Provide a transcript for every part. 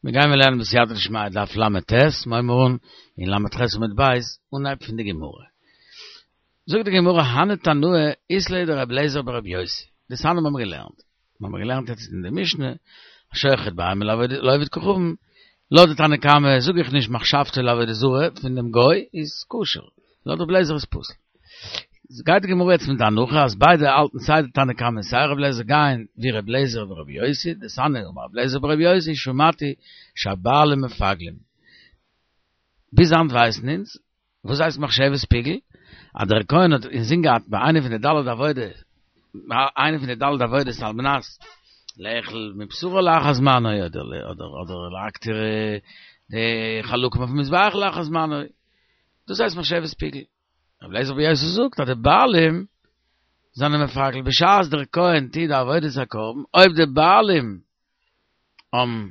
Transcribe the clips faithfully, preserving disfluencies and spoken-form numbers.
מיר גייען מיר לערנען בסייעתא דשמיא דף ל"ט, מיר הייבן אן אין ל"ח עמוד ב', אנהייב פון די גמרא. זאגט די גמרא הני תנאי אית להו דרבי אליעזר ברבי יוסי, דתניא האבן מיר געלערנט, מיר האבן געלערנט יעצט אין די משנה, השוחט בהמה לעובד כוכבים, לויט די תנא קמא זאג איך נישט מחשבתו לעבודה זרה פון דעם גוי איז כשר, לויט רבי אליעזר איז פסול. גייט די גמרא יעצט מיט די הנחה אז ביידע האלטן סיי די תנא קמא און סיי רבי אליעזר גייען ווי רבי אליעזר ורבי יוסי, דתניא אמר רבי אליעזר ברבי יוסי שמעתי שהבעלים מפגלים. ביז היינט ווייסן אונז וואס הייסט מחשבת פיגול, אז דער כהן האט אינזין געהאט ביי איינע פון די ד' עבודות, ביי איינע פון די ד' עבודות על מנת לאכול מבשרו לאחר זמנו אדער אדער להקטיר די חלקים אויפן מזבח לאחר זמנו, דאס הייסט מחשבת פיגול. רבי אליעזר ברבי יוסי זאגט אז די בעלים זענען מפגל בשעת דער כהן טוט די עבודת הקרבן, אויב די בעלים האבן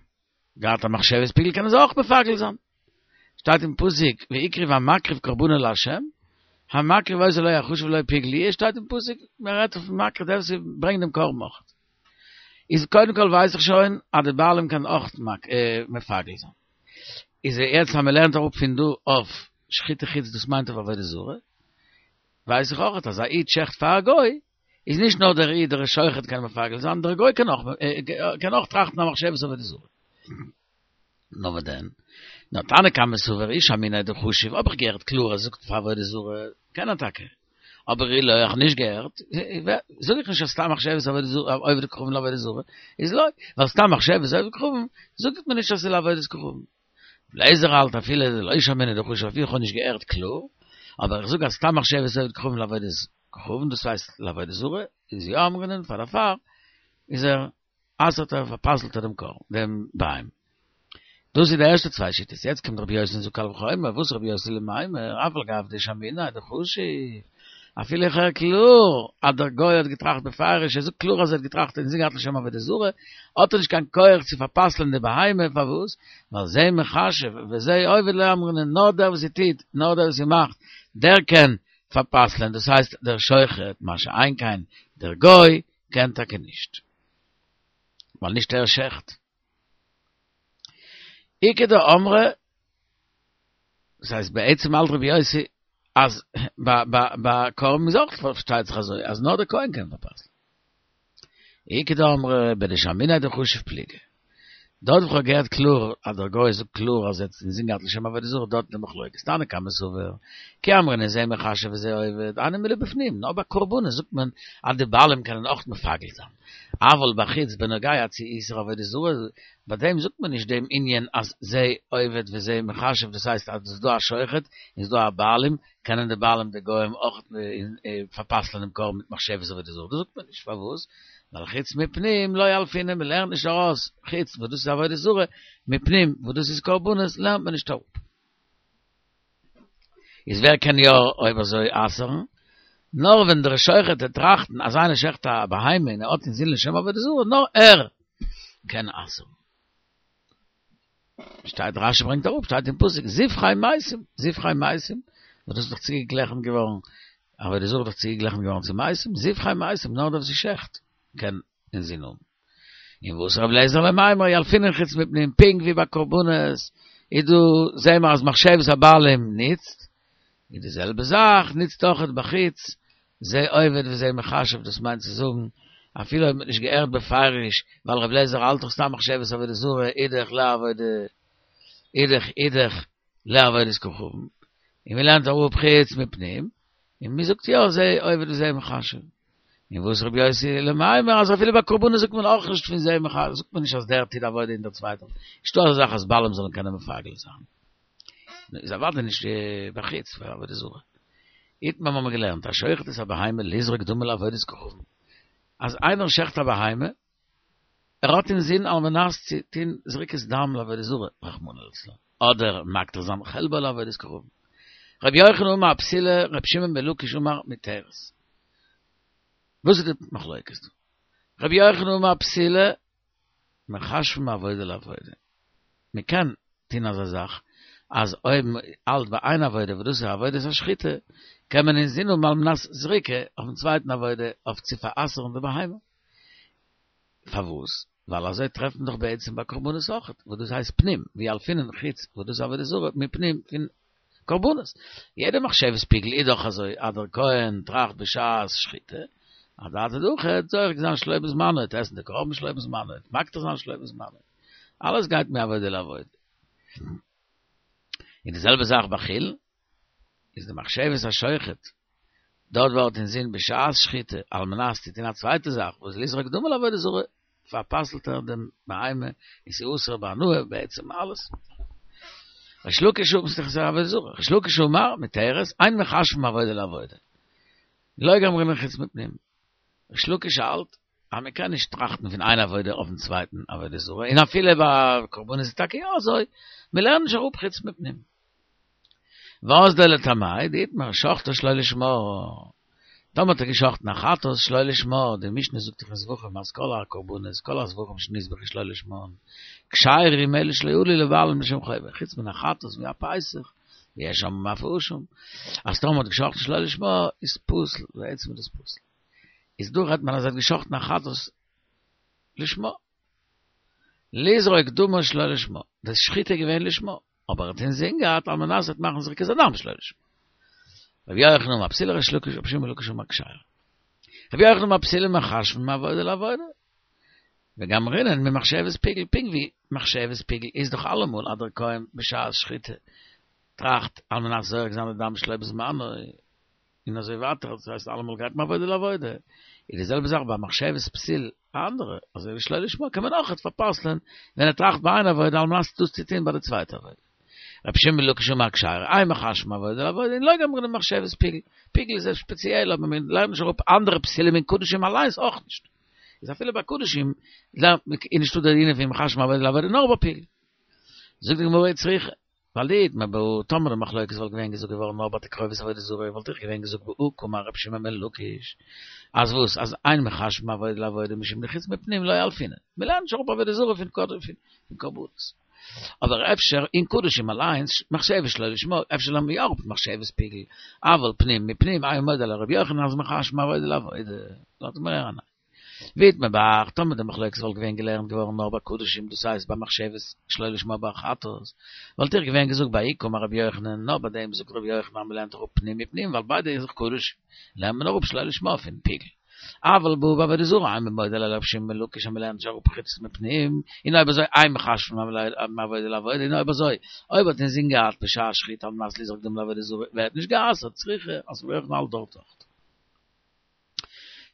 געהאט א מחשבת פיגול קענען זיי אויך מפגל זיין. שטייט אין פסוק והקריב המקריב קרבנו לה', המקריב אותו לא יחשב לו פיגול יהיה, שטייט אין פסוק מען רעדט אויפן מקריב דער וואס ברענגט דעם קרבן אויך. איז קודם כל ווייס איך שוין אז די בעלים קענען אויך מפגל זיין. איז יעצט אז מען לערנט אראפ פון דא אויף שחוטי חוץ דאס מיינט אויף עבודה זרה, ווייס איך אויך אז א איד שעכט פאר א גוי, איז נישט נאר דער איד דער שוחט קען מפגל זיין, דער גוי קען אויך קען אויך טראכטן א מחשבת עבודה זרה. נאר וואס דען? נאר תנא קמא סבר אי שמעיניה דחשיב, האב איך געהערט קלאר ער זאגט פאר עבודה זרה, קען ער טאקע. אבער אי לא איך נישט געהערט, זאג איך נישט אז סתם מחשבת עבודה זרה, עובד כוכבים לעבודה זרה, איז לא, ווייל סתם מחשבת עובד כוכבים, זאגט מען נישט אז ס'איז לעבודת כוכבים. ר' אליעזר האלט אפילו דלא שמעיניה דחשיב אפילו איך האב נישט געהערט קלאר, אבער איך זאג אז סתם מחשבת עובד כוכבים לעבודת כוכבים, דאס הייסט לעבודה זרה, איז יא אמרינן פאר דערפאר איז ער אסר'ט ער פאר'פסל'ט ער דעם קרבן, דעם בהמה. דאס איז די ערשטע צוויי שיטות, יעצט קומט רבי יוסי און זאגט קל וחומר, וואס רבי יוסי למימר, אף על גב דשמעיניה דחשיב, אפילו איך הער קלאר אז דער גוי האט געטראכט בפירוש, ער זאגט קלאר אז ער האט געטראכט אינזין געהאט לשם עבודה זרה, האט ער נישט קיין כח צו פאר'פסל'ען די בהמה, פארוואס? ווייל זה מחשב וזה עובד לא אמרינן, נאר דער וואס ס'טוט, נאר דער וואס ס'מאכט, דער קען פאר'פסל'ען, דאס הייסט דער שוחט, מה שאין כן דער גוי קען טאקע נישט. ווייל נישט ער שעכט. איכא דאמרי, דאס הייסט בעצם האלט רבי יוסי אז ביי קרבן איז אויך פארשטייט זיך אזוי אז נאר דער כהן קען פארפסל'ן. איכא דאמרי בדשמעיניה דחשיב פליגי. דארט וואו כ'האב געהערט קלאר אז דער גוי זאגט קלאר אז ער האט אינזין געהאט לשם עבודה זרה דארט איז די מחלוקת תנא קמא סבר כי אמרינן זה מחשב וזה עובד הני מילי בפנים נאר ביי קרבנות זאגט מען אז די בעלים קענען אויך מפגל זיין אבל בחוץ בנוגע צו איסור עבודה זרה ביי דעם זאגט מען נישט דעם ענין אז זה עובד וזה מחשב דאס הייסט אז עס איז דא א שוחט און עס איז דא א בעלים קענען די בעלים די גוים אויך פארפסל'ען דעם קרבן מיט מחשבת עבודה זרה דאס זאגט מען נישט פארוואס ווייל חוץ מפנים לא ילפינן, מען לערנט נישט ארויס חוץ וואס דאס איז עבודה זרה, מפנים וואס דאס איז קרבנות לערנט מען נישט אראפ. איז ווער קען יא אויב אזוי אסר'ן? נאר ווען דער שוחט וועט טראכטן אז איינער שעכט א בהמה און ער האט אינזין לשם עבודה זרה, נאר ער קען אסר'ן. שטייט רשי ברענגט אראפ שטייט אין פסוק זבחי מתים זבחי מתים וואס דאס איז דאך צוגעגליכנט געווארן עבודה זרה איז דאך צוגעגליכנט געווארן צו מתים זבחי מתים נאר דער וואס שעכט קען אינזין האבן און וואס רב לעזער למימר ילפינן חוץ מפנים פונקט ווי ביי קרבנות איז דא זעהן מיר אז מחשבת הבעלים ניצט איז די זעלבע זאך ניצט אויכעט בחוץ זה עובד וזה מחשב דאס מיינט צו זאגן אפילו אויב מ'האט נישט געהערט בפירוש ווייל רב לעזער האלט דאך סתם מחשבת עבודה זרה אידך לעבודה אידך אידך לעבודת כוכבים און מ'לערנט אראפ חוץ מפנים און מ'זאגט יא זה עובד וזה מחשב און וואס רבי יוסי למימר אז אפילו ביי קרבנות זאגט מען אויך נישט פון זה מחשב זאגט מען נישט אז דער טוט עבודה און דער צווייטער נישטא אזא זאך אז בעלים זאלן קענען מפגל זיין איז אוודאי נישט בחוץ פאר עבודה זרה. איתמר האבן מיר געלערנט השוחט את הבהמה לזרוק דמה לעבודת כוכבים, אז איינער שעכט א בהמה, ער האט אינזין על מנת צו טוהן זריקת דם לעבודה זרה רחמנא לצלן, אדער מקטיר זיין חלבו לעבודת כוכבים. רבי יוחנן אמר פסולה, רבי שמעון בן לקיש אמר מותרת. וואס איז די מחלוקת דא? רבי יוחנן אמר פסולה, מחשבים מעבודה לעבודה. מען קען טון אזא זאך אז אויב מען האלט ביי איין עבודה וואס דאס איז עבודת השחיטה, קען מען אינזין האבן על מנת זריקה אויפן צווייטן עבודה אויף צו פאר'אסר'ן די בהמה. פארוואס? ווייל אזוי טרעפן דאך בעצם ביי קרבנות אויך, וואס דאס הייסט פנים, וילפינן חוץ, וואס דאס עבודה זרה, מפנים פון קרבנות. יעדע מחשבת פיגול איז דאך אזוי, אז דער כהן טראכט בשעת שחיטה, אדעתא דהכי, זורק זיין שלא בזמנו, עסן די קרבן שלא בזמנו, מקטיר זיין שלא בזמנו. אלעס גייט מעבודה לעבודה. און די זעלבע זאך ביי חולין, איז די מחשבת השוחט, דארט וואו ער האט אין זין בשעת שחיטה, על מנת צו טון א צווייטע זאך, וואס לזרוק דמים לעבודה זרה, פארפסלט ער דעם בהמה, און ס'איז אסור בהנאה בעצם אלעס. ריש לקיש אמר, ס'איז עבודה זרה, ריש לקיש אמר, מותרת, אין מחשבין מעבודה לעבודה. לא גמרינן חוץ מפנים. ריש לקיש האלט, אז מען קען נישט טראכטן פון איין עבודה אויפן צווייטן עבודה זרה, און אפילו ביי קרבנות איז טאקע יא אזוי, מען לערנט נישט אראפ חוץ מפנים. ואזדא לטעמיה דאיתמר שחטא שלא לשמה, טאמער האט ער געשחטן א חטאת שלא לשמה, די משנה זאגט דאך אין זבחים אז כל הקרבנות, כל הזבחים שנזבחו שלא לשמן, כשרים אלא שלא עלו לבעלים לשם חובה, חוץ מן החטאת והפסח, ויש אומרים אף האשם, אז טאמער האט געשחטן שלא לשמה איז פסול, בעצם איז דאס פסול. איז דא רעדט מען אז ער האט געשחטן א חטאת לשמה. לזרוק דמה שלא לשמה. דאס שחיטה איז געווען לשמה. אבער ער האט אינזין געהאט על מנת צו מאכן זריקת הדם שלא לשמה. רבי יוחנן אמר פסולה ריש לקיש רבי שמעון בן לקיש אמר כשרה. רבי יוחנן אמר פסולה מחשבין מעבודה לעבודה. וגמרינן ממחשבת פיגול פונקט ווי מחשבת פיגול איז דאך אלעמאל אז דער כהן בשעת שחיטה טראכט על מנת זורק זיין די דם שלא בזמנו און אזוי ווייטער, דאס הייסט אלעמאל גייט מעבודה לעבודה, איז די זעלבע זאך ביי מחשבת פסיל א אנדערע, אזוי ווי שלא לשמה קען מען אויכעט פארפסל'ען ווען ער טראכט ביי איין עבודה על מנת דאס צו טוהן ביי די צווייטע עבודה. רבי שמעון בן לקיש אמר כשרה, אין מחשבין מעבודה לעבודה און לא גמרינן ממחשבת פיגול, פיגול איז ספעציעל אבער מען לערנט נישט אראפ אנדערע פסילים אין קדשים אליינס אויך נישט, איז אפילו ביי קדשים איז נישטא די ענין פון מחשבין מעבודה לעבודה נאר ביי פיגול. זאגט די גמרא וצריכא. ווייל דאיתמר בהא טאמער די מחלוקת וואלט געווען געזאגט געווארן נאר ביי תקרובת עבודה זרה וואלט איך געווען געזאגט בהא קאמר רבי שמעון בן לקיש אז וואס אז אין מחשבין מעבודה לעבודה משום דחוץ מפנים לא ילפינן מ'לערנט נישט אראפ עבודה זרה פון פון קרבנות אבער אפשר אין קדשים אליינס מחשבת שלא לשמה אפשר לערנט מען יא אראפ מחשבת פיגול אבל פנים מפנים אימא מודה לרבי יוחנן אז מחשבין מעבודה לעבודה לאזט מיר הערן א ואיתמר בהך, טאמער די מחלוקת וואלט געווען געלערנט געווארן נאר ביי קדשים, דאס הייסט ביי מחשבת שלא לשמה ביי חטאת, וואלט איך געווען געזאגט בההיא קאמר רבי יוחנן, נאר ביי דעם זאגט רבי יוחנן אז מ'לערנט אראפ פנים מפנים ווייל ביידע איז דאך קדשים, לערנט מען אראפ שלא לשמה פון פיגול. אבל בהא בעבודה זרה אימא מודה ליה לרבי שמעון בן לקיש אז מ'לערנט נישט אראפ חוץ מפנים, און אויב אזוי אין מחשבין מעבודה לעבודה, און אויב אזוי אויב האט אינזין געהאט בשעת שחיטה על מנת לזרוק דם לעבודה זרה ווערט נישט גע'אסר'ט, צריכא אז רבי יוחנן האלט דארט אויך.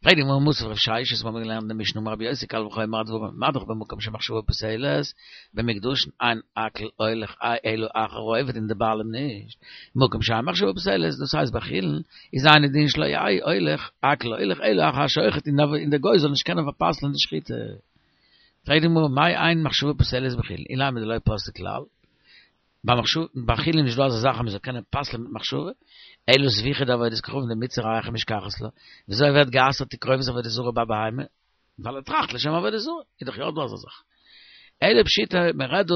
פרעגט די גמרא מתיב רב ששת מיר האבן געלערנט אין די משנה אמר רבי יוסי קל וחומר הדברים מה דאך במקום שמחשבה פוסלת במוקדשין אין הכל הולך אלא אחר העובד און די בעלים נישט במקום שאין מחשבה פוסלת דאס הייסט ביי חולין איז אינו דין שלא יהא הולך הכל הולך אלא אחר השוחט און די גוי זאל נישט קענען פארפסל'ן די שחיטה פרעגט די גמרא מאי אין מחשבה פוסלת בחולין אילימא דלא פסלי כלל ביי מחשבה, ביי חולין איז נישט דא אזא זאך אז מען זאל קענען פסל'ען מיט מחשבה, אלא זביחה דעבודת כוכבים דמצרי היכי משכחת לה, וויאזוי ווערט גע'אסר'ט תקרובת עבודה זרה ביי בהמה? ווייל ער טראכט לשם עבודה זרה, איז דאך יא דא אזא זאך. אלא פשיטא, מען רעדט דא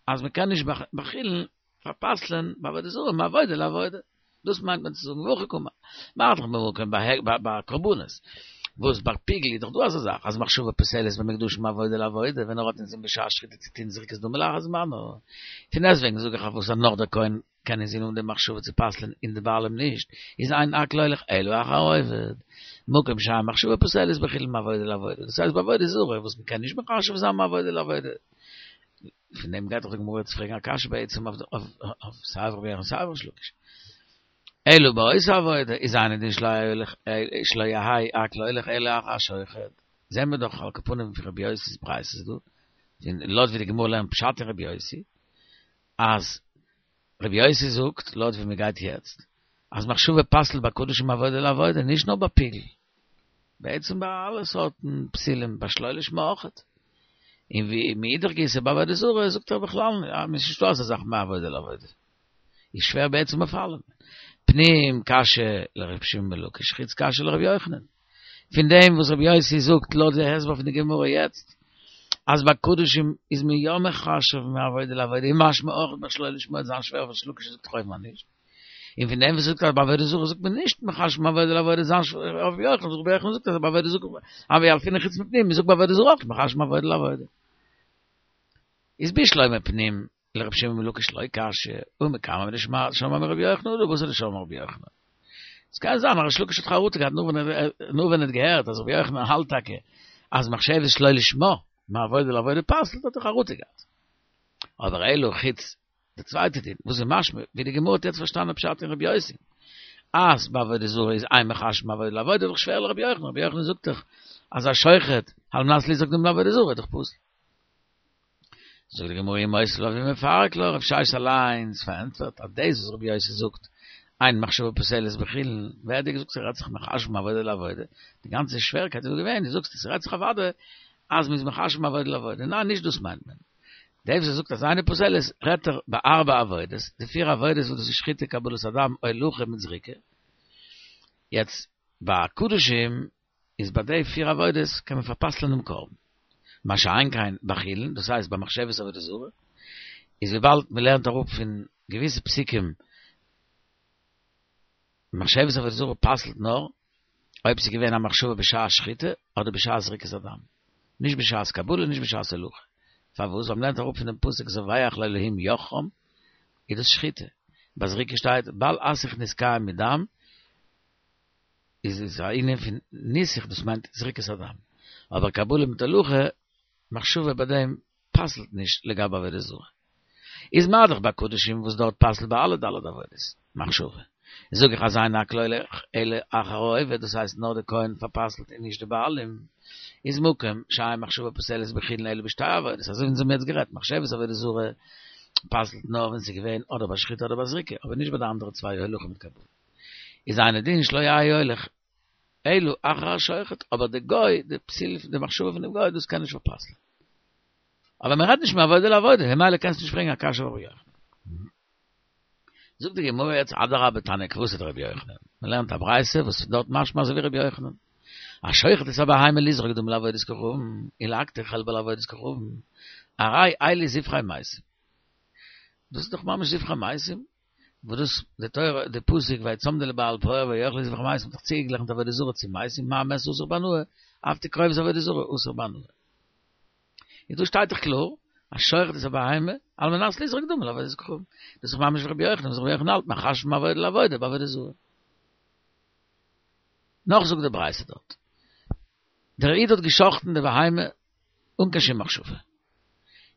אז מען קען נישט ביי חולין פארפסל'ען ביי עבודה זרה מעבודה לעבודה. דאס מיינט מען צו זאגן והכי קאמר. מה דאך במקום ביי קרבנות, וואס ביי פיגול איז דאך דא אזא זאך אז מחשבה פוסלת במוקדשין מעבודה לעבודה ווען ער האט אינזין בשעת שחיטה צו טון זריקת דמים לאחר זמנו. פון דעסטוועגן זאג איך אויף וואס אז נאך דער כהן קען אינזין האבן די מחשבה צו פסל'ען און די בעלים נישט, איז אין הכל הולך אלא אחר העובד. מקום שאין מחשבה פוסלת בחולין מעבודה לעבודה, דאס הייסט ביי עבודה זרה וואס מ'קען נישט מחשב זיין מעבודה לעבודה. פון דעם גייט דאך די גמרא יעצט פרעגן א קשיא בעצם אויף אויף סיי אויף רבי יוחנן סיי אויף ריש לקיש. אלא באותה עבודה איז אינו דין שלא יהא הכל הולך אלא אחר השוחט. זעהן מיר דאך על כל פנים פון רבי יוסי'ס ברייתות דא, און לויט ווי די גמרא לערנט פשט אין רבי יוסי, אז רבי יוסי זאגט, לויט ווי מ'גייט יעצט, אז מחשבה פסל'ט ביי קדשים מעבודה לעבודה, נישט נאר ביי פיגול. בעצם ביי אלע סארטן פסילים, ביי שלא לשמה אויכעט. און ווי מאידך גיסא ביי עבודה זרה זאגט ער בכלל אז ס'איז נישטא אזא זאך מעבודה לעבודה. איז שווער בעצם אויף אלעם. פנים קשיא לר' שמעון בן לקיש, חוץ קשיא לר' יוחנן. פון דעם וואס ר' יוסי זאגט לויט די הסבר פון די גמרא יעצט, אז ביי קדשים איז מען יא מחשב מעבודה לעבודה, איז משמע אויך ביי שלא לשמה וועט זיין שווער וואס ריש לקיש זאגט אויב נישט. און פון דעם וואס זאגט אז ביי עבודה זרה זאגט מען נישט מחשבין מעבודה לעבודה זיין רבי יוחנן, רבי יוחנן זאגט אז ביי עבודה זרה הוה ילפינן חוץ מפנים, מ'זאגט ביי עבודה זרה אויך מחשבין מעבודה לעבודה. איז בשלמא פנים לרבי שמעון בן לקיש לא קשיא, ומקמי דשמעה מרבי יוחנן הא בתר דשמעה מרבי יוחנן. עס קען זיין אז ריש לקיש האט חרטה געהאט נאר ווען ער נאר ווען ער האט געהערט אז רבי יוחנן האלט טאקע אז מחשבת שלא לשמה מעבודה לעבודה פסל'ט האט ער חרטה געהאט. אבער אלא חוץ די צווייטע דין וואס איז משמע ווי די גמרא האט יעצט פארשטאנען פשט אין רבי יוסי אז ביי עבודה זרה איז אין מחשבין מעבודה לעבודה איז דאך שווער לרבי יוחנן, רבי יוחנן זאגט דאך אז א שוחט על מנת לזרוק דם לעבודה זרה איז דאך פסול. זאגט די גמרא ומותיב לה ומפרק לה, רב ששת אליינס פארענטפערט אז דאס וואס רבי יוסי זאגט אין מחשבה פוסלת בחולין, ווער האט דיר געזאגט ס'רעדט זיך מחשבין מעבודה לעבודה? די גאנצע שווערקייט איז דא געווען, דו זאגסט עס רעדט זיך אוודאי אז מ'איז מחשב מעבודה לעבודה, ניין נישט דאס מיינט מען. דער וואס זאגט אז אינה פוסלת רעדט ער ביי ארבע עבודות, די פיר עבודות וואס דאס איז שחיטה קבלת הדם הולכה מיט זריקה. יעצט ביי קדשים איז ביי די פיר עבודות קען מען פאר'פסל'ען דעם קרבן. מה שאין כן ביי חולין, דאס הייסט ביי מחשבת עבודה זרה, איז וויבאלד מען לערנט אראפ פון געוויסע פסוקים מחשבת עבודה זרה פסל'ט נאר אויב ס'איז געווען א מחשבה בשעת שחיטה אדער בשעת זריקת הדם, נישט בשעת קבלה נישט בשעת הולכה. פארוואס? ווייל מ'לערנט אראפ פון דעם פסוק זובח לאלהים יחרם, איז דאס שחיטה. ביי זריקה שטייט בל אסך נסכים מדם, איז עס א ענין פון ניסוך דאס מיינט זריקת הדם. אבער קבלה מיט הולכה, מחשבה ביי דעם פסל'ט נישט לגבי עבודה זרה. איז מה דאך ביי קדשים וואס דארט פסל'ט ביי אלע ד' עבודות מחשבה. זאג איך אז אין הכל הולך אלא אחר העובד דאס הייסט נאר די כהן פאר'פסל'ט און נישט די בעלים. איז מקום שאין מחשבה פוסלת בחולין אלא בשתי עבודות אזוי ווי אונז האבן יעצט גערעדט מחשבת עבודה זרה פסל'ט נאר ווען ס'איז געווען אדער ביי שחיטה אדער ביי זריקה אבער נישט ביי די אנדערע צוויי הולכה מיט קבלה. איז אינו דין שלא יהא הולך אלא אחר השוחט אבער די גוי די פסיל די מחשבה פונעם גוי דאס קען נישט פאר'פסל'ען. אבער מען רעדט נישט מעבודה לעבודה, ממילא קענסטו נישט פרעגן א קשיא אויף רבי יוחנן. זאגט די גמרא יעצט אדרבה תניא כוותיה דרבי יוחנן, מען לערנט א ברייתא וואס איז דארט משמע אזוי ווי רבי יוחנן, השוחט את הבהמה לזרוק דמים לעבודת כוכבים, ולהקטיר חלבה לעבודת כוכבים, הרי אלו זבחי מתים. דאס איז דאך ממש זבחי מתים, וואס דאס די תורה די פסוק ויצמדו לבעל פעור ויאכלו זבחי מתים האט דאך צוגעגליכנט עבודה זרה צו מתים, מה מת אסור בהנאה, אף תקרובת עבודה זרה אסור בהנאה. איז דא שטייט דאך קלאר, השוחט את הבהמה, על מנת לזרוק דמים לעבודת כוכבים. דאס איז דאך ממש ווי רבי יוחנן, וואס רבי יוחנן האלט מחשבין מעבודה לעבודה בעבודה זרה. נאך זאגט די ברייתא דארט, דער איד האט גע'שחט'ן די בהמה אן קיין שום מחשבה.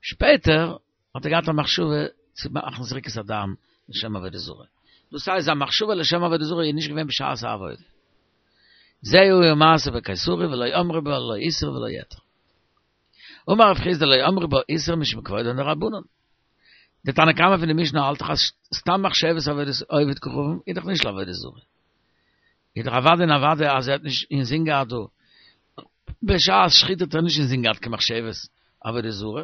שפעטער האט ער געהאט א מחשבה צו מאכן זריקת הדם לשם עבודה זרה. דאס הייסט זיין מחשבה לשם עבודה זרה איז נישט געווען בשעת העבודה. זה היה מעשה בקיסרי ולא אמרו בה לא איסור ולא היתר. אמר רב חסדא לא אמרו בה איסור משום כבודן דרבנן. די תנא קמא פון די משנה האלט דאך אז סתם מחשבת עבודת עובד כוכבים איז דאך נישט לעבודה זרה. איז דאך אוודאי און אוודאי אז ער האט נישט אינזין געהאט דא בשעת שחיטה האט ער נישט אינזין געהאט קיין מחשבת עבודה זרה,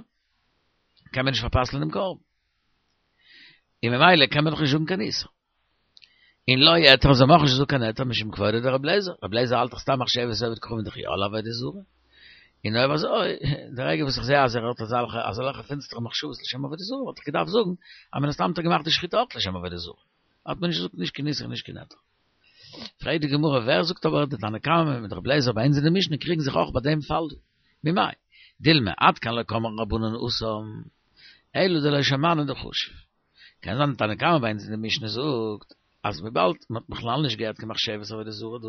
קען מען נישט פאר'פסל'ען דעם קרבן. און ממילא קען מען דאך נישט זאגן קיין איסור. און לא היתר זאל מען אויך נישט זאגן קיין היתר משום כבודה דרבי אליעזר, רבי אליעזר האלט דאך סתם מחשבת עובד כוכבים דאך יא לעבודה זרה, און אויב אזוי, די רגע וואס איך זעה אז ער האט אזעלכע אזעלכע פינסטערע מחשבות לשם עבודה זרה וואלט איך געדארפט זאגן אז מן הסתם האט ער געמאכט די שחיטה אויך לשם עבודה זרה, האט מען נישט געזאגט נישט קיין איסור נישט קיין היתר. פרעגט די גמרא ווער זאגט אבער די תנא קמא מיט רבי אליעזר ביי אונז אין די משנה קריגן זיך אויך ביי דעם פאל דא, ממאי דילמא עד כאן לא קאמרי רבנן התם אלא דלא שמענא דחשיב. קען זיין די תנא קמא ביי אונז אין די משנה זאגט אז וויבאלד מען האט בכלל נישט געהערט קיין מחשבת עבודה זרה דא,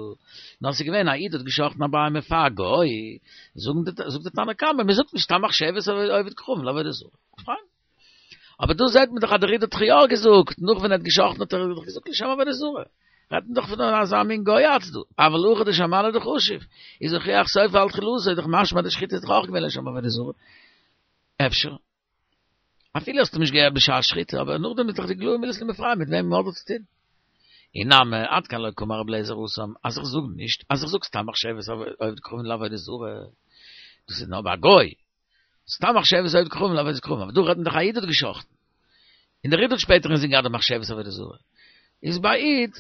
נאר ס'איז געווען א איד האט גע'שחט'ן א בהמה פאר א גוי, זאגן די זאגט די תנא קמא מען זאגט נישט סתם מחשבת עובד כוכבים לעבודה זרה. פיין. אבער דא זעט מען דאך אז דער איד האט דאך יא געזאגט, נאך ווען ער האט גע'שחט'ן האט ער דאך געזאגט לשם עבודה זרה. רעדט מען דאך פון אזא מין גוי אלץ דא, אבל הכא דשמענא דחשיב, איז הוכיח סופו על תחילתו, איז דאך משמע אז די שחיטה איז דאך אויך געווען לשם עבודה זרה. אפשר. אפילו האסטו נישט געהערט בשעת שחיטה, אבער נאכדעם איז דאך די איגלאי מילתא למפרע מיט וועם מ'האט דא צו טון. אי נמי, עד כאן לא קאמר רבי אליעזר התם, אז איך זאג נישט, אז איך זאג סתם מחשבת עובד כוכבים לעבודה זרה, דאס איז נאר ביי א גוי, סתם מחשבת עובד כוכבים לעבודת כוכבים, אבער דא רעדט מען דאך א איד האט גע'שחט'ן, און דער איד האט שפעטער אינזין געהאט די מחשבת עבודה זרה, איז ביי א איד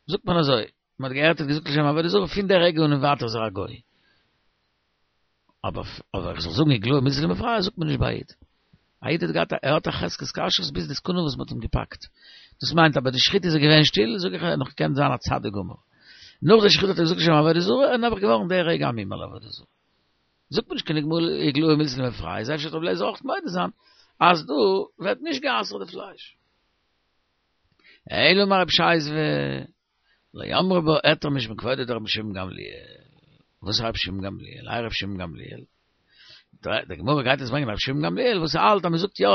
זאגט מען אזוי, מען האט געהערט ער האט געזאגט לשם עבודה זרה, פון די רגע אן און ווייטער איז ער א גוי. אבער אבער איך זאל זאגן איגלאי מילתא למפרע זאגט מען נישט ביי א איד. א איד האט געהאט א ער האט א חזקת כשרות ביז די סעקונדע וואס מען האט אים געפאקט. דאס מיינט אבער די שחיטה איז געווען שטיל, זאג איך נאך קען זיין א צדיק גמור. נאך די שחיטה האט ער געזאגט לשם עבודה זרה, און נעבעך געווארן דער רגע א מומר לעבודה זרה. זאגט מען נישט קיין איגלאי מילתא למפרע, איז אפשר רבי אליעזר אויך מודה זיין אז דא ווערט נישט גע'אסר'ט די פלייש. אלא אמר רב שייזווע, לא אמרו בה היתר משום כבודו דרבן שמעון גמליאל. וואס איז רבי שמעון גמליאל? איי רבי שמעון גמליאל? די גמרא גייט עס ברענגען רבי שמעון גמליאל וואס האלט אז מען זאגט יא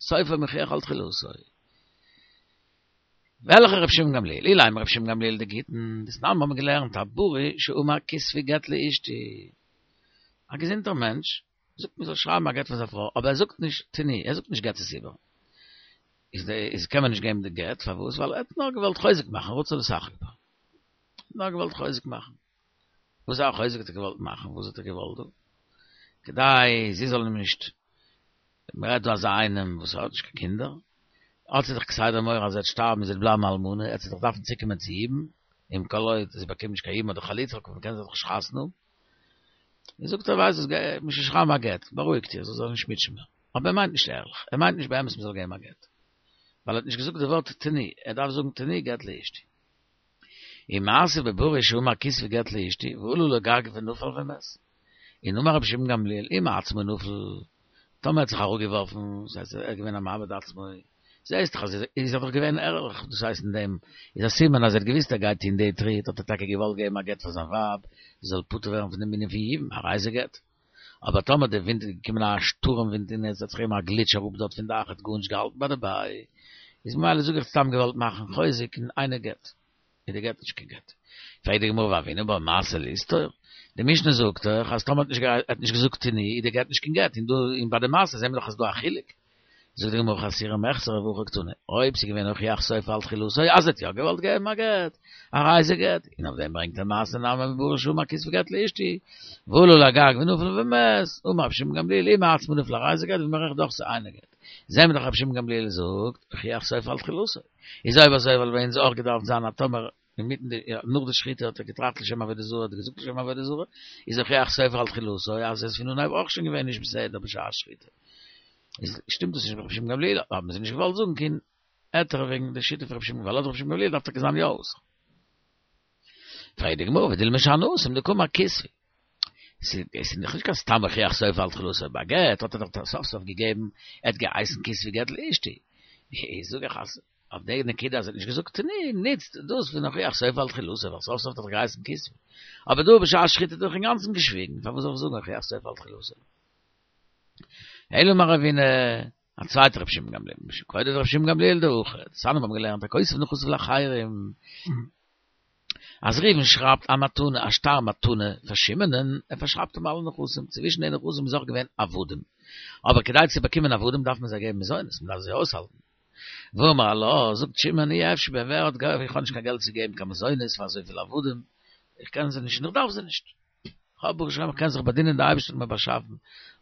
סופו מוכיח על תחילתו. וועלכע רבי שמעון גמליאל? אילימא רבי שמעון גמליאל דגיטין, דתנן האבן מיר געלערנט הבריא שאמר כתבו גט לאשתי. א געזונטער מענטש זאגט מען זאל שרייבן א גט פאר זיין פרוי, אבער ער זאגט נישט תנו, ער זאגט נישט גט עס איבער. איז די איז קען מען נישט געבן די גט, פארוואס? ווייל ער האט נאר געוואלט חוזק מאכן, רצה לשחק בה. נאר געוואלט חוזק מאכן. וואס א חוזק האט ער געוואלט מאכן? וואס האט ער געוואלט דא? כדי זי זאל אים נישט, מען רעדט דא אזא איינעם וואס האט נישט קיין קינדער, האט זי דאך כסדר מורא אז ער וועט שטארבן און זי וועט בלייבן אלמנה, ער וועט זי דאך דארפן צוקומען צו יבום, און כל עוד זי באקומט נישט קיין יבום אדער חליצה קען זי דאך נישט חתונה האבן. און זאגט ער ווייסט וואס גיי מיר שרייבן א גט, בארואיגט איר, זי זאל נישט מוטשען מער. אבער ער מיינט נישט ערליך, ער מיינט נישט באמת מען זאל געבן א גט. ווייל ער האט נישט געזאגט די ווארט תנו, ער דארף זאגן תנו גט לאשתי. ומעשה בבריא שאמר כתבו גט לאשתי, ועלה לגג ונפל ומת. און אמר רבי שמעון גמליאל, אם מעצמו נפל, טאמער ער האט זיך אראפגעווארפן, דאס הייסט ער איז געווען א מאבד עצמו, זעהסט דאך אז איז ער דאך געווען ערליך, דאס הייסט אין דעם איז א סימן אז ער האט געוויסט ער גייט טוהן די טריט, האט ער טאקע געוואלט געבן א גט פאר זיין ווייב, זי זאל פטור ווערן פון דעם ענין פון יבום, הרי זה גט. אבער טאמער די ווינט איז געקומען א שטורעם ווינט און עס האט זיך געגעבן א גליטש אראפ דארט פון דאך, ער האט גארנישט געהאלטן ביי דערביי, איז ממילא זאג איך סתם געוואלט מאכן חוזק און אינו גט. איז די גט נישט קיין גט. פרעגט די גמרא והוינן בה מעשה לסתור, די משנה זאגט דאך אז טאמער האט נישט געזאגט תנו איז די גט נישט קיין גט, און דא און ביי די מעשה זעהן מיר דאך אז ס'דא א חילוק. זאגט די גמרא חסורי מחסרא והכי קתני, אויב ס'איז געווען הוכיח סופו על תחילתו אז ער האט יא געוואלט געבן א גט, הרי זה גט, און אויף דעם ברענגט ער מעשה נמי בבריא שאמר כתבו גט לאשתי, ועלה לגג ונפל ומת, אמר רבי שמעון גמליאל אם מעצמו נפל הרי זה גט ואם הורייך דחתו אינו גט. זעהן מיר דאך רבי שמעון גמליאל זאגט, הוכיח סופו על תחילתו. איז אויב אזוי וואלט ביי אונז אויך געדארפט זיין אז טאמער אינמיטן די נאך די שחיטה האט ער געטראכט לשם עבודה זרה האט ער געזאגט לשם עבודה זרה, איז הוכיח סופו על תחילתו אז עס איז פון אנהייב אויך שוין געווען נישט בסדר בשעת שחיטה. איז שטימט דאס נישט מיט רבי שמעון גמליאל, האבן זיי נישט געוואלט זאגן קיין היתר וועגן די שיטה פון רבי שמעון ווייל לויט רבי שמעון גמליאל דארף טאקע זיין יא אסור. פרעגט די גמרא ודילמא שאני התם דקאמר כתבו. עס איז נישט קיין סתם הוכיח סופו על תחילתו ביי גט האט ער דאך סוף סוף געגעבן, ער האט געהייסן כתבו גט לאשתי. זאג איך אז אויף די נקודה אז ער האט נישט געזאגט תנו ניצט דאס פון הוכיח סופו על תחילתו ווייל סוף סוף האט ער דאך געהייסן כתבו. אבער דא בשעת שחיטה האט ער דאך אינגאנצן געשוויגן פארוואס זאל איך זאגן הוכיח סופו על תחילתו? אלא אמר רבינא, א צווייטער רבי שמעון גמליאל, משום כבודו דרבי שמעון גמליאל דהכי, דתנן מיר האבן געלערנט הכותב נכסיו לאחרים, אז ראובן שרייבט א מתנה, א שטר מתנה פאר שמעונ'ען, ער פארשרייבט אים אלע נכסים, צווישן די נכסים איז אויך געווען עבדים, אבער כדי צו באקומען עבדים דארף מען זיי געבן מזונות, מען דארף זיי אויסהאלטן. ואמר לה, זאגט שמעון, אי אפשי בהן, ווער האט געלט, איך האב נישט קיין געלט צו געבן קיין מזונות פאר אזויפיל עבדים, איך קען זיי נישט און איך דארף זיי נישט. איך האב ברוך השם, איך קען זיך באדינען, די אייבערשטער האט מיר באשאפן,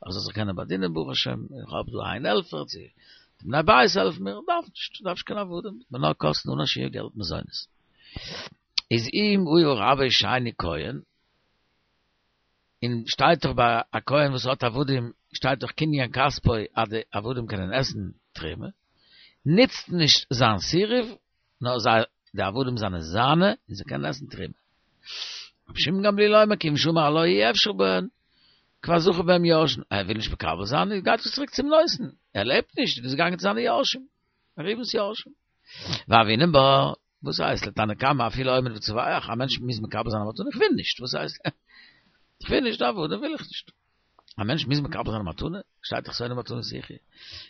איך זאל זיך קענען באדינען ברוך השם, איך האב דא איין העלפער, צו די בני בית העלפן מיר, איך דארף נישט, איך דארף נישט קיין עבדים, וועט מיר נאר קאסטן אן א שיעור געלט מזונות. איז אם היה רבו שני כהן, און שטייט דאך ביי א כהן וואס האט עבדים, שטייט דאך קנין כספו אז די עבדים קענען עסן תרומה, נוצט נישט זיין סירוב, נאר זיי די עבדים זענען זיינע און זיי קענען עסן תרומה. רבי שמעון גמליאל אומר כיוון שאמר לה אי אפשי בהן, כבר זכו בהם יורשין, ער וויל נישט מקבל זיין, גייט עס צוריק צום נותן, ער לעבט נישט, איז געגאנגען צו זיינע יורשים, ראובן'ס יורשים. והוינן בה, וואס הייסט לתנא קמא אפילו עומד וצווח, א מענטש מוז מקבל זיין א מתנה, איך וויל נישט, וואס הייסט? איך וויל נישט, עבדים וויל איך נישט. א מענטש מוז מקבל זיין א מתנה, שטייט דאך שונא מתנות יחיה.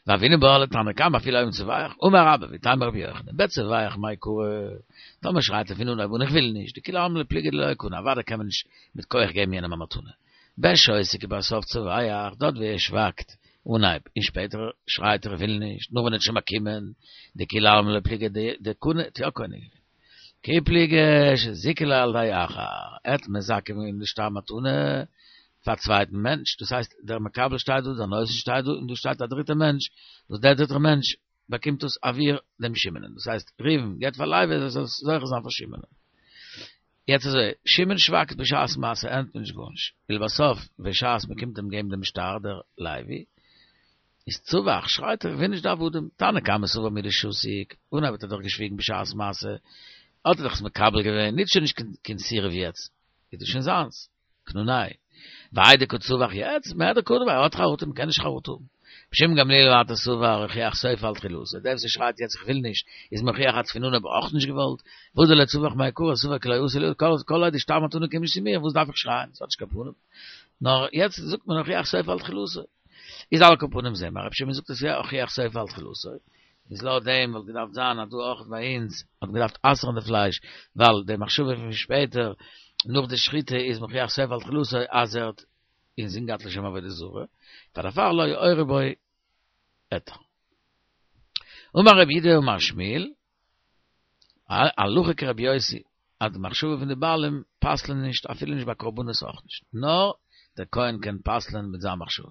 והוינן בה לתנא קמא אפילו עומד וצווח, אמר רבה ואיתימא רבי יוחנן, בצווח מאי קרא, טאמער שרייט ער פון אנהויב אן איך וויל נישט, דכולי עלמא לא פליגי דלא קני, אוודאי קען מען נישט מיט כח געבן יענעם א מתנה. בשותק ובסוף צווח, דארט ווי ער שווייגט אנהייב און שפעטער שרייט ער איך וויל נישט, נאך ווען ער האט שוין באקומען, דכולי עלמא לא פליגי דקני, האט יא קונה געווען. כי פליגי שזיכו ליה על ידי אחר, ער האט מזכה געווען די שטר מתנה פאר א צווייטן מענטש, דאס הייסט דער מקבל שטייט דא, דער נותן שטייט דא, און דא שטייט א דריטער מענטש, וואס דער דריטער מענטש באקומט דאס עבור דעם שמעונ'ען, דאס הייסט ראובן געבט פאר לוי ער זאל זוכה זיין פאר שמעונ'ען. יעצט אזוי, שמעון שווייגט בשעת מעשה ענטפערט נישט גארנישט, ולבסוף בשעת מען קומט אים געבן דעם שטר דער לוי, איז צווח, שרייט ער, וויל נישט די עבדים, תנא קמא סבר מדשתיק, און האט ער דאך געשוויגן בשעת מעשה, האט ער דאך עס מקבל געווען, נישט שוין נישט קיין סירוב יעצט, איז דאס שוין זיינס, קנונאי. והאי דקא צווח יעצט, מהדר קני ביה, ער האט חרטה, מ'קען נישט חרטה האבן. רבי שמעון גמליאל ווייטער סבר, הוכיח סופו על תחילתו, דער וואס שרייט יעצט איך וויל נישט, איז מוכיח אז פון אנהויב אויך נישט געוואלט, והא דלא צווח מעיקרא סבר כי לא אתי לי, כל עוד די שטר מתנה קומט נישט צו מיר, וואס דארף איך שרייען, ס'האט נישט קיין פנים. נאר יעצט זאגט מען הוכיח סופו על תחילתו. איז על כל פנים זעהן מיר, רבי שמעון זאגט עס יא הוכיח סופו על תחילתו. איז לויט דעם וואלט געדארפט זיין אז דא אויך ביי אונז האט מען געדארפט אסר'ן די פלייש, ווייל די מחשבה פון שפעטער נאך די שחיטה איז מוכיח סופו על תחילתו אז ער האט אינזין געהאט לשם עבודה זרה, פאר דערפאר לא יעורו בו היתר. אמר רב יהודה אמר שמואל, הלכה כרבי יוסי, אז די מחשבה פון די בעלים פסל'ן נישט אפילו נישט ביי קרבנות אויך נישט, נאר דער כהן קען פסל'ן מיט זיין מחשבה.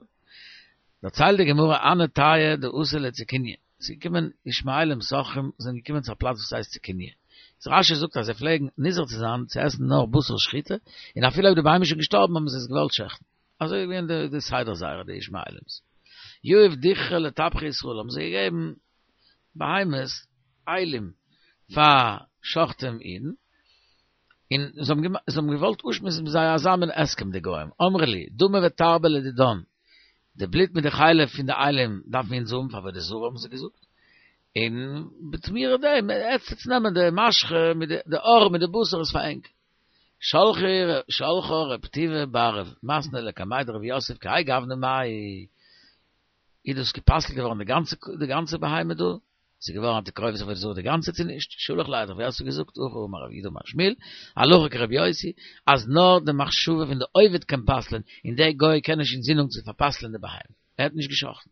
דערציילט די גמרא הנהו טייעי דאתו לציקוניא, ס'איז געקומען ישמעאלים סוחרים זענען געקומען צו א פלאץ וואס הייסט ציקוניא, איז רש"י זאגט אז זיי פלעגן נזהר צו זיין צו עסן נאר בשר שחיטה, און אפילו אויב די בהמה איז שוין געשטארבן האבן זיי עס געוואלט שעכטן. אזוי איז געווען די סדר זייערע די ישמעאלים'ס. יהיב דכרא לטבחי ישראל האבן זיי געגעבן בהמות אילים פאר שוחטים אידן, און זיי האבן געוואלט אפשמועסן מיט זיי אזא מין הסכם די גוים, אמרי להו, דמא ותרבא לדידן, די בלוט מיט די חלב פון די אילים דארפן אונז האבן פאר עבודה זרה האבן זיי געזאגט, און בתמורה דעם עטס נעמען די משחה מיט די עור מיט די בשר איז פאר ענק. שלחה רב טוביה בר רב מתנה לקמיה דרב יוסף כי האי גוונא מאי איז דאס גע'פסל'ט געווארן די גאנצע די גאנצע בהמה דא? ס'איז געווארן א תקרובת עבודה זרה די גאנצע צו נישט? שלח ליה האט רב יוסף געזאגט הכי אמר רב יהודה אמר שמואל הלכה כרבי יוסי אז נאר די מחשבה פון די עובד קען פסל'ען און דער גוי קען נישט אינזין האבן צו פאר'פסל'ען די בהמה ער האט נישט גע'שחט'ן.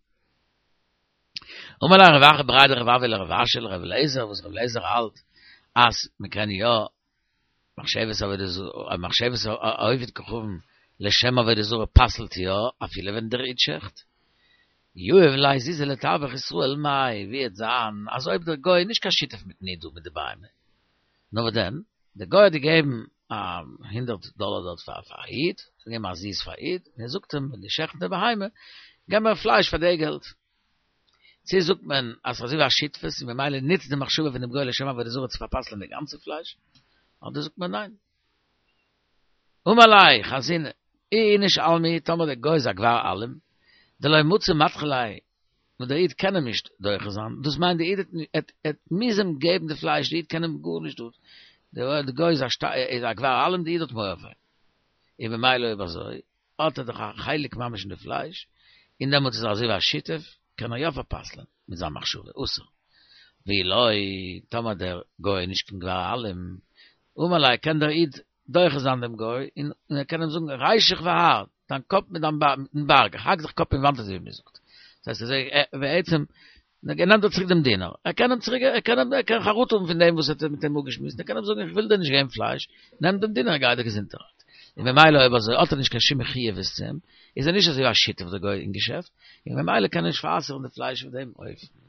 אמר ליה רב אחא בריה דרב אבהו לרב אשי לר' אליעזר וואס ר' אליעזר האלט אז מ'קען יא מחשבת עבודה זרה, מחשבת העובד כוכבים לשם עבודה זרה פסל'ט יא אפילו ווען דער איד שעכט. יהיב ליה זוזי לטבח ישראל מאי, ווי עט זיין אז אויב דער גוי איז נישט קיין שותף מיטן איד דא מיט די בהמה, נאר וואס דען, דער גוי האט געגעבן א הונדערט דאלער דארט פאר א איד, געגעבן א זוז פאר א איד, און ער זאגט אים ווען דו שעכטסט די בהמה, געב מיר פלייש פאר די געלט. צו זאגט מען אז ס'איז אזוי ווי א שותפות און ממילא נוצט די מחשבה פון דעם גוי לשם עבודה זרה צו פארפסל'ען די גאנצע פלייש, אדער זאגט מען ניין. אמר ליה חזינא, אי איניש אלמא, טאמער דער גוי איז א גבר אלים, דלא מצי מדחי ליה, וואס דער איד קען אים נישט דוחה זיין, דאס מיינט דער איד עט מוז אים געבן די פלייש, דער איד קען אים גארנישט דא, דער גוי איז א גבר אלים, דער איד האט מורא פאר אים, און ממילא אויב אזוי האט ער דאך א חלק ממש אין די פלייש, און דעמאלטס איז ער אזוי ווי א שותף, קען ער יא פארפסל'ען מיט זיין מחשבה, אסור. ואי לא, טאמער דער גוי איז נישט קיין גבר אלים, אמר ליה קען דער איד דוחה זיין דעם גוי, און ער קען אים זאגן רישך והר, דיין קאפ מיט דיין מיטן בארג, איך האק דיך קאפ אין וואנט אזוי ווי מען זאגט. דאס הייסט אזוי בעצם, נעמט ער צוריק דעם דינר, ער קען אים צוריק, ער קען ער קען חרטה האבן פון דעם וואס ער האט מיט אים אפגעשמועסט, ער קען אים זאגן איך וויל דיר נישט געבן פלייש, נעם דעם דינר און גיי דיר געזונטערהייט. און ממילא אויב אזוי האט ער נישט קיין שום מחויבות צו אים, איז ער נישט אזוי ווי א שותף דער גוי אין געשעפט, און ממילא קען ער נישט פאר'אסר'ן די פלייש אויף דעם אופן.